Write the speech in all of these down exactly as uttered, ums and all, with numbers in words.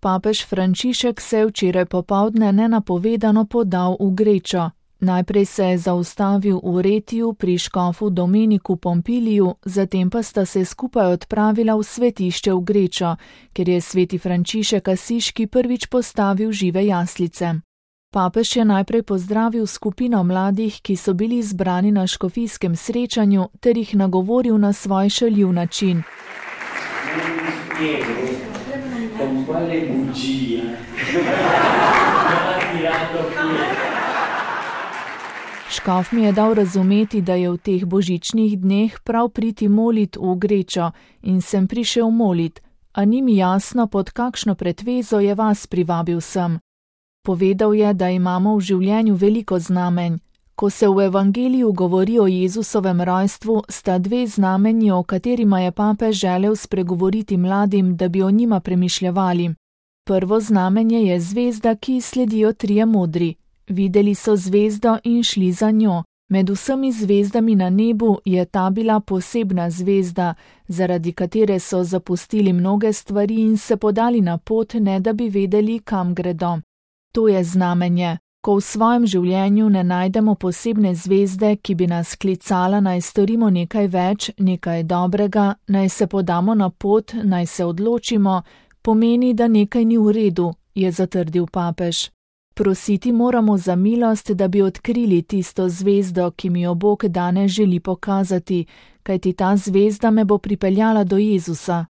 papež Frančišek se je včeraj popoldne nenapovedano podal v Grečo. Najprej se je zaustavil v Retiju pri škofu Domeniku Pompiliju, zatem pa sta se skupaj odpravila v svetišče v Grečo, kjer je sveti Frančišek Asiški prvič postavil žive jaslice. Papež je najprej pozdravil skupino mladih, ki so bili zbrani na škofijskem srečanju, ter jih nagovoril na svoj šaljiv način. Škof mi je dal razumeti, da je v teh božičnih dneh prav priti molit v Grečo in sem prišel molit, a ni mi jasno, pod kakšno pretvezo je vas privabil sem. Povedal je, da imamo v življenju veliko znamenj. Ko se v evangeliju govori o Jezusovem rojstvu, sta dve znamenji, o katerima je papež želel spregovoriti mladim, da bi o njima premišljevali. Prvo znamenje je zvezda, ki sledijo trije modri. Videli so zvezdo in šli za njo. Med vsemi zvezdami na nebu je ta bila posebna zvezda, zaradi katere so zapustili mnoge stvari in se podali na pot, ne da bi vedeli, kam gredo. To je znamenje. Ko v svojem življenju ne najdemo posebne zvezde, ki bi nas klicala, naj storimo nekaj več, nekaj dobrega, naj se podamo na pot, naj se odločimo, pomeni, da nekaj ni v redu, je zatrdil papež. Prositi moramo za milost, da bi odkrili tisto zvezdo, ki mi jo Bog danes želi pokazati, kajti ta zvezda me bo pripeljala do Jezusa.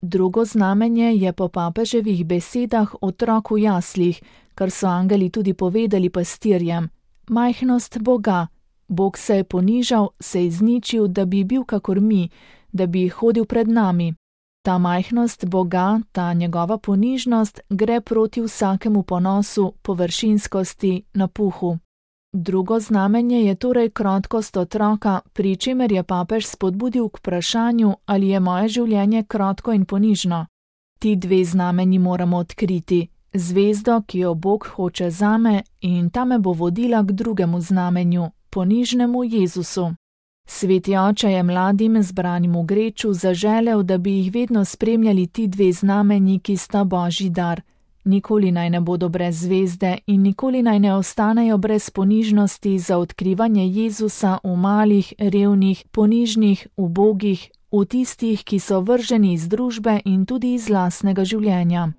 Drugo znamenje je po papeževih besedah otrok v jaslih, kar so angeli tudi povedali pastirjem. Majhnost Boga. Bog se je ponižal, se izničil, da bi bil kakor mi, da bi hodil pred nami. Ta majhnost Boga, ta njegova ponižnost, gre proti vsakemu ponosu, površinskosti, napuhu. Drugo znamenje je torej krotkost otroka, pri čemer je papež spodbudil k vprašanju, ali je moje življenje krotko in ponižno. Ti dve znamenji moramo odkriti. Zvezdo, ki jo Bog hoče zame, in ta me bo vodila k drugemu znamenju, ponižnemu Jezusu. Sveti oče je mladim zbranim v Greču zaželel, da bi jih vedno spremljali ti dve znamenji, ki sta Božji dar. Nikoli naj ne bodo brez zvezde in nikoli naj ne ostanejo brez ponižnosti za odkrivanje Jezusa v malih, revnih, ponižnih, ubogih, v tistih, ki so vrženi iz družbe in tudi iz lastnega življenja.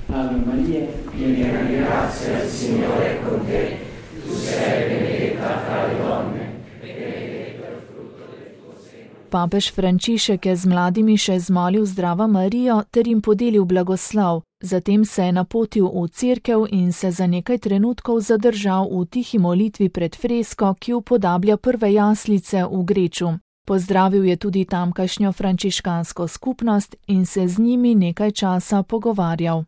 Ave Maria, piena di grazia, il Signore è con te. Tu sei benedetta fra le donne, e benedetto è il frutto del tuo seno. Papež Frančišek je z mladimi še zmolil Zdravo Marijo ter jim podelil blagoslov. Zatem se je napotil v cerkev in se za nekaj trenutkov zadržal v tihi molitvi pred fresko, ki upodablja prve jaslice v Greču. Pozdravil je tudi tamkajšnjo frančiškansko skupnost in se z njimi nekaj časa pogovarjal.